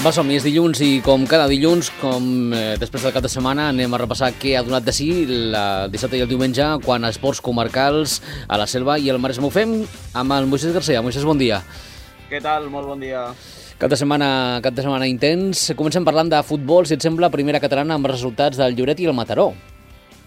Va, som-hi, és dilluns i com cada dilluns, després del cap de setmana, anem a repassar què ha donat de si el dissabte i el diumenge quan a esports comarcals a la Selva i el Maresme. Ho fem amb el Moisés García. Moisés, bon dia. Què tal? Molt bon dia. Cap de setmana intens. Comencem parlant de futbol, si et sembla, primera catalana amb resultats del Lloret i el Mataró.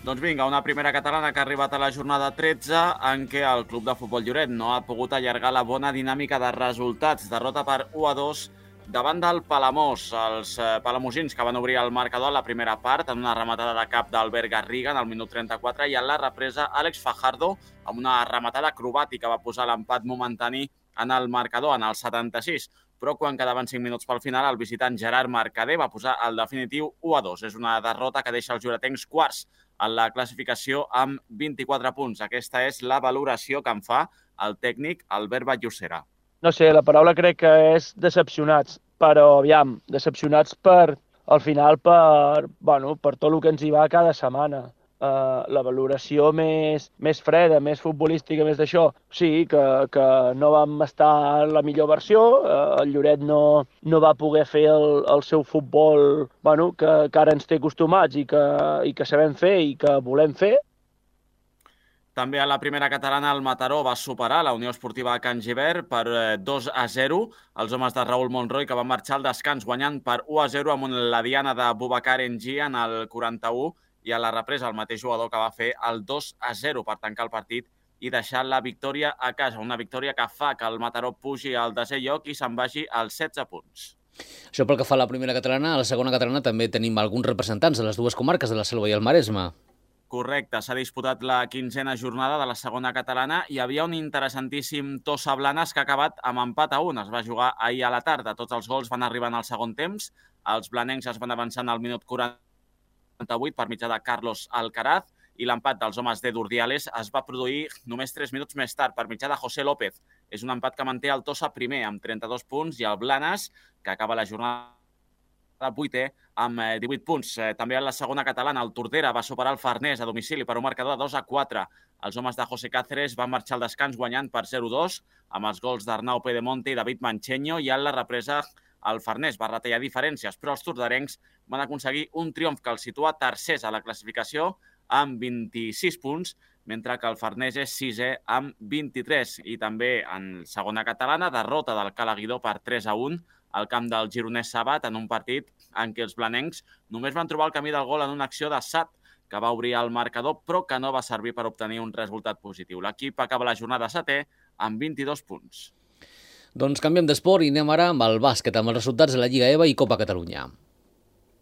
Doncs vinga, una primera catalana que ha arribat a la jornada 13 en què el club de futbol Lloret no ha pogut allargar la bona dinàmica de resultats. Derrota per 1-2 davant del Palamós. Els palamosins que van obrir el marcador a la primera part en una rematada de cap d'Albert Garriga en el minut 34 i en la represa Àlex Fajardo amb una rematada acrobàtica va posar l'empat momentani en el marcador en el 76. Però quan quedaven 5 minuts pel final, el visitant Gerard Mercader va posar el definitiu 1-2. És una derrota que deixa els lloretencs quarts en la classificació amb 24 punts. Aquesta és la valoració que en fa el tècnic Albert Vallocera. No sé, la paraula crec que és decepcionats, però aviam, decepcionats al final per tot el que ens hi va cada setmana. La valoració més freda, més futbolística, més d'això, sí, que no vam estar en la millor versió, el Lloret no va poder fer el seu futbol que ara ens té acostumats i que sabem fer i que volem fer. També a la primera catalana el Mataró va superar la Unió Esportiva de Can Gibert per 2-0. Els homes de Raül Monroy que van marxar al descans guanyant per 1-0 amb la diana de Boubacar Engi en el 41 i a la represa el mateix jugador que va fer el 2-0 per tancar el partit i deixar la victòria a casa. Una victòria que fa que el Mataró pugi al 10è lloc i se'n vagi als 16 punts. Això pel que fa a la primera catalana. A la segona catalana també tenim alguns representants de les dues comarques de la Selva i el Maresme. Correcte, s'ha disputat la 15a jornada de la segona catalana i hi havia un interessantíssim Tossa Blanes que ha acabat amb empat a 1. Es va jugar ahir a la tarda. Tots els gols van arribar en el segon temps. Els blanencs es van avançant al minut 48 per mitjà de Carlos Alcaraz i l'empat dels homes de Durdiales es va produir només 3 minuts més tard per mitjà de José López. És un empat que manté el Tossa primer amb 32 punts i el Blanes, que acaba la jornada 8è amb 18 punts. També a la segona catalana el Tordera va superar el Farners a domicili per un marcador de 2-4. Els homes de José Cáceres van marxar al descans guanyant per 0-2 amb els gols d'Arnau Pedemonte i David Mancheño i en la represa el Farners va retallar diferències, però els tordarencs van aconseguir un triomf que els situa tercers a la classificació amb 26 punts, mentre que el Farners és 6è amb 23. I també en segona catalana, derrota del Calaguidó per 3-1 al camp del Gironès Sabat en un partit en què els blanencs només van trobar el camí del gol en una acció de Sat, que va obrir el marcador, però que no va servir per obtenir un resultat positiu. L'equip acaba la jornada 7è amb 22 punts. Doncs canviem d'esport i anem ara amb el bàsquet, amb els resultats de la Lliga EVA i Copa Catalunya.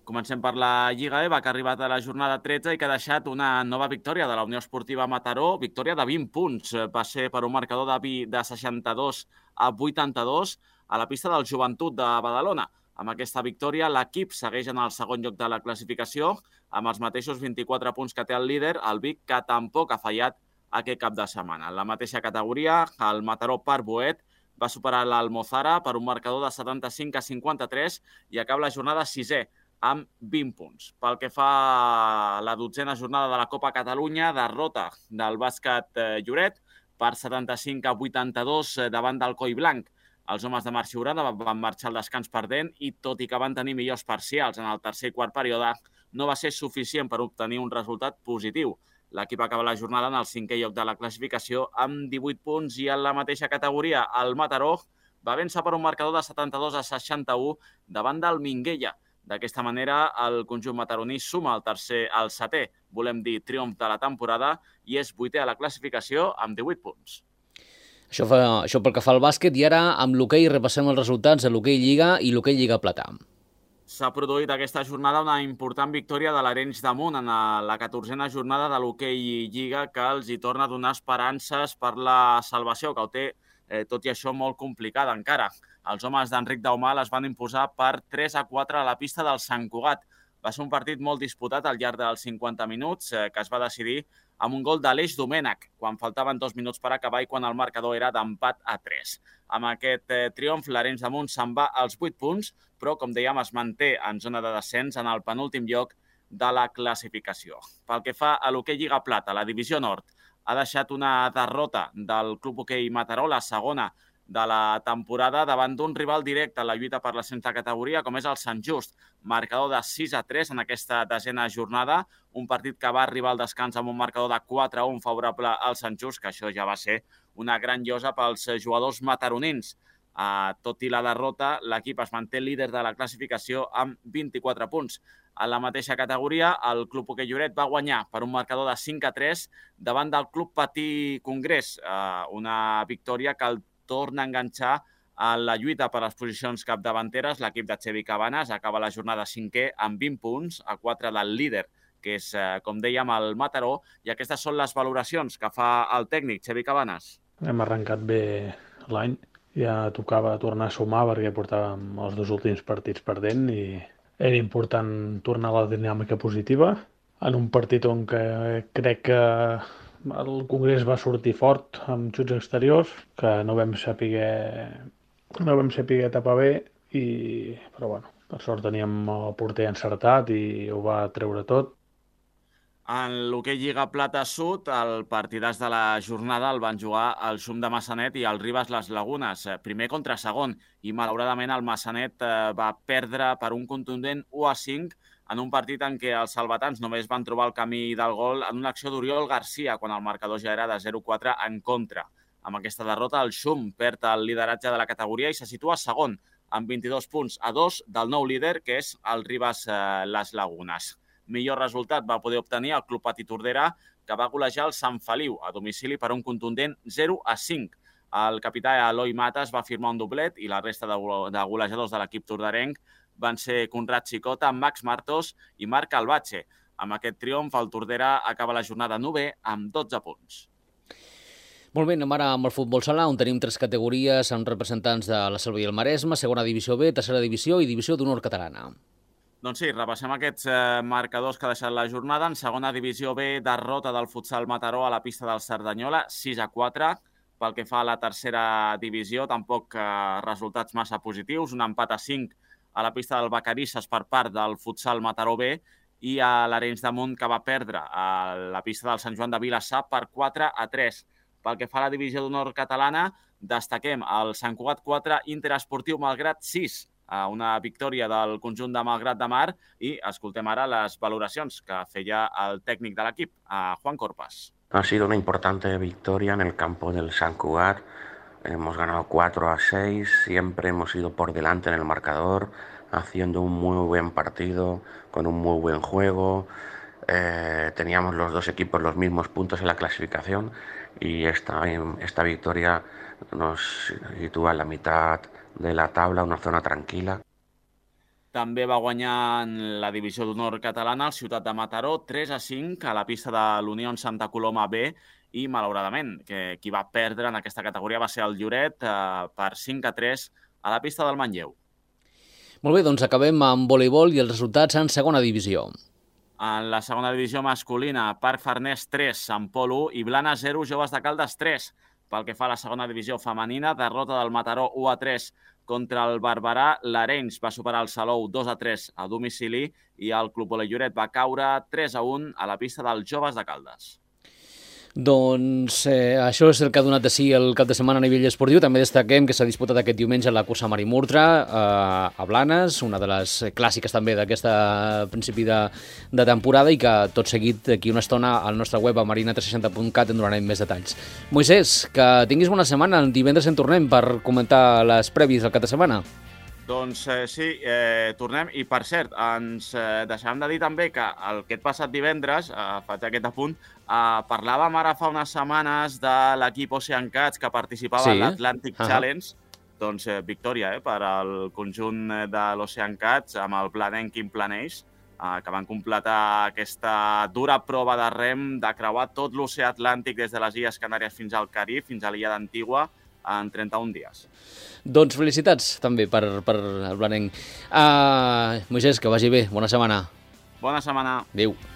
Comencem per la Lliga EVA, que ha arribat a la jornada 13 i que ha deixat una nova victòria de la Unió Esportiva Mataró, victòria de 20 punts. Va ser per un marcador de 62-82 a la pista del Joventut de Badalona. Amb aquesta victòria, l'equip segueix en el segon lloc de la classificació, amb els mateixos 24 punts que té el líder, el Vic, que tampoc ha fallat aquest cap de setmana. En la mateixa categoria, el Mataró Parboet va superar l'Almozara per un marcador de 75-53 i acaba la jornada 6è, amb 20 punts. Pel que fa a la 12a jornada de la Copa Catalunya, derrota del bàsquet Lloret per 75-82 davant del Coi Blanc. Els homes de Marc Siurana van marxar al descans perdent i, tot i que van tenir millors parcials en el tercer i quart període, no va ser suficient per obtenir un resultat positiu. L'equip acaba la jornada en el 5è lloc de la classificació amb 18 punts i en la mateixa categoria el Mataró va vèncer per un marcador de 72-61 davant del Minguella. D'aquesta manera, el conjunt mataroní suma el 7è, volem dir, triomf de la temporada i és 8è a la classificació amb 18 punts. Això pel que fa al bàsquet i ara amb l'hoquei repassem els resultats de l'hoquei Lliga i l'hoquei Lliga Plata. S'ha produït aquesta jornada una important victòria de l'Arenys de Munt en la 14a jornada de l'hoquei Lliga que els hi torna a donar esperances per la salvació, que ho té, tot i això, molt complicada encara. Els homes d'Enric Daumal es van imposar per 3-4 a la pista del Sant Cugat. Va ser un partit molt disputat al llarg dels 50 minuts que es va decidir amb un gol d'Aleix Domènech, quan faltaven 2 minuts per acabar i quan el marcador era d'empat a 3. Amb aquest triomf, l'Arenys de Munt se'n va als 8 punts, però, com dèiem, es manté en zona de descens en el penúltim lloc de la classificació. Pel que fa a l'hoquei Lliga Plata, la divisió nord ha deixat una derrota del Club Hoquei Mataró, la segona de la temporada davant d'un rival directe en la lluita per l'ascens de categoria, com és el Sant Just. Marcador de 6-3 en aquesta desena jornada, un partit que va arribar al descans amb un marcador de 4-1 favorable al Sant Just, que això ja va ser una gran llosa pels jugadors mataronins. Tot i la derrota, l'equip es manté líder de la classificació amb 24 punts. En la mateixa categoria, el Club Hoquei Lloret va guanyar per un marcador de 5-3 davant del Club Patí Congrés, una victòria que el torna a enganxar a la lluita per les posicions capdavanteres. L'equip de Xevi Cabanes acaba la jornada 5è amb 20 punts, a 4 del líder, que és, com dèiem, el Mataró, i aquestes són les valoracions que fa el tècnic, Xevi Cabanes. Hem arrencat bé l'any, ja tocava tornar a sumar perquè portàvem els 2 últims partits perdent i era important tornar a la dinàmica positiva en un partit on crec que el Congrés va sortir fort amb xuts exteriors, que no vam saber tapar bé, però bueno, per sort teníem el porter encertat i ho va treure tot. En l'hoquei Lliga Plata Sud, el partidàs de la jornada el van jugar el Xum de Massanet i el Ribes Les Lagunes, primer contra segon, i malauradament el Massanet va perdre per un contundent 1-5 en un partit en què els salvatans només van trobar el camí del gol en una acció d'Oriol Garcia, quan el marcador ja era de 0-4 en contra. Amb aquesta derrota, el Xum perd el lideratge de la categoria i se situa segon, amb 22 punts a 2 del nou líder, que és el Ribes Les Lagunes. Millor resultat va poder obtenir el Club Patí Tordera, que va golejar el Sant Feliu a domicili per un contundent 0-5. El capità Eloi Matas va firmar un doblet i la resta de golejadors de l'equip torderenc van ser Conrad Xicota, Max Martos i Marc Albatxe. Amb aquest triomf, el Tordera acaba la jornada 9è amb 12 punts. Molt bé, anem ara amb el futbol sala, on tenim 3 categories amb representants de la Selva i el Maresme, segona divisió B, tercera divisió i divisió d'honor catalana. Doncs sí, repassem aquests marcadors que ha deixat la jornada. En segona divisió B, derrota del futsal Mataró a la pista del Cerdanyola, 6-4. Pel que fa a la tercera divisió, tampoc resultats massa positius. Un empat a 5 a la pista del Vacarisses per part del futsal Mataró B i a l'Arenys de Munt, que va perdre a la pista del Sant Joan de Vilassar per 4-3. Pel que fa a la divisió d'honor catalana, destaquem el Sant Cugat 4, Interesportiu Malgrat 6, una victòria del conjunt de Malgrat de Mar, i escoltem ara les valoracions que feia el tècnic de l'equip, Juan Corpas. Ha sido una importante victoria en el campo del Sant Cugat. Hemos ganado 4-6, siempre hemos ido por delante en el marcador, haciendo un muy buen partido, con un muy buen juego. Teníamos los dos equipos los mismos puntos en la clasificación y esta victoria nos sitúa en la mitad de la tabla, una zona tranquil·la. També va guanyar en la divisió d'honor catalana el Ciutat de Mataró 3-5 a la pista de l'Unió Santa Coloma B i, malauradament, qui va perdre en aquesta categoria va ser el Lloret per 5-3 a la pista del Manlleu. Molt bé, doncs acabem amb voleibol i els resultats en segona divisió. En la segona divisió masculina, Parc Farners 3, Sant Pol 1 i Blanes 0, Joves de Caldes 3. Pel que fa a la segona divisió femenina, derrota del Mataró 1-3 contra el Barberà. L'Arenys va superar el Salou 2-3 a domicili i el Club Hoquei Lloret va caure 3-1 a la pista dels Joves de Caldes. Doncs això és el que ha donat de si el cap de setmana a nivell esportiu. També destaquem que s'ha disputat aquest diumenge la cursa Marimurtra a Blanes, una de les clàssiques també d'aquest principi de temporada, i que tot seguit d'aquí una estona al nostre web a marina360.cat en donarem més detalls. Moisès, que tinguis bona setmana. Divendres en tornem per comentar les prèvies del cap de setmana. Doncs sí, tornem. I, per cert, ens deixàvem de dir també que aquest passat divendres, faig aquest apunt, parlàvem ara fa unes setmanes de l'equip Ocean Cats que participava en l'Atlantic Challenge. Doncs victòria per al conjunt de l'Ocean Cats amb el planenc Quim Planeix, que van completar aquesta dura prova de rem de creuar tot l'oceà Atlàntic des de les Illes Canàries fins al Carib, fins a l'illa d'Antigua, en 31 dies. Doncs felicitats també per el blanenc. Moisès, que vagi bé. Bona setmana. Bona setmana. Adéu.